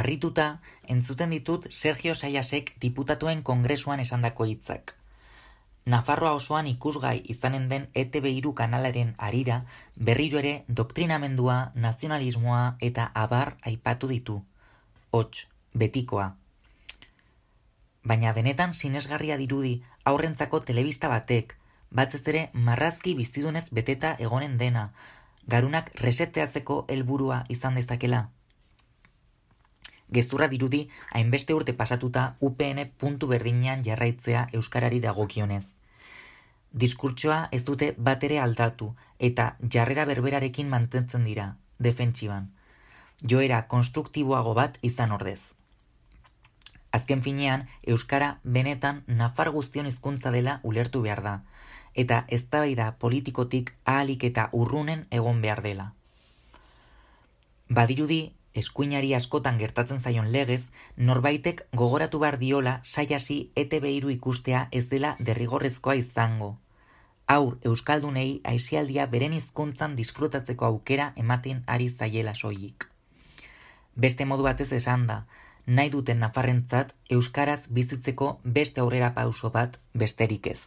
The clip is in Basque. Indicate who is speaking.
Speaker 1: Harrituta, entzuten ditut Sergio Sayasek diputatuen kongresuan esandako hitzak. Nafarroa osoan ikusgai izanen den ETV3 kanalaren harira berriro ere doktrinamendua, nazionalismoa eta abar aipatu ditu. Hots, betikoa. Baina benetan sinesgarria dirudi aurrentzako telebista batek, batez ere marrazki bizidunez beteta egonen dena, garunak reseteatzeko helburua izan dezakela. Gezurra dirudi hainbeste urte pasatuta UPN puntu berdinean jarraitzea euskarari dagokionez. Diskurtsoa ez dute bat ere aldatu eta jarrera berberarekin mantentzen dira, defentsiban. Joera konstruktiboago bat izan ordez. Azken finean, euskara benetan nafar guztion hizkuntza dela ulertu behar da, eta eztabaida politikotik ahalik eta urrunen egon behar dela. Badirudi, eskuinari askotan gertatzen zaion legez, norbaitek gogoratu behar diola Sayasi ETV3 ikustea ez dela derrigorrezkoa izango. Haur euskaldunei aisialdia beren hizkuntzan disfrutatzeko aukera ematen ari zaiela soilik. Beste modu batez esan da, nahi duten nafarrentzat euskaraz bizitzeko beste aurrera pauso bat besterik ez.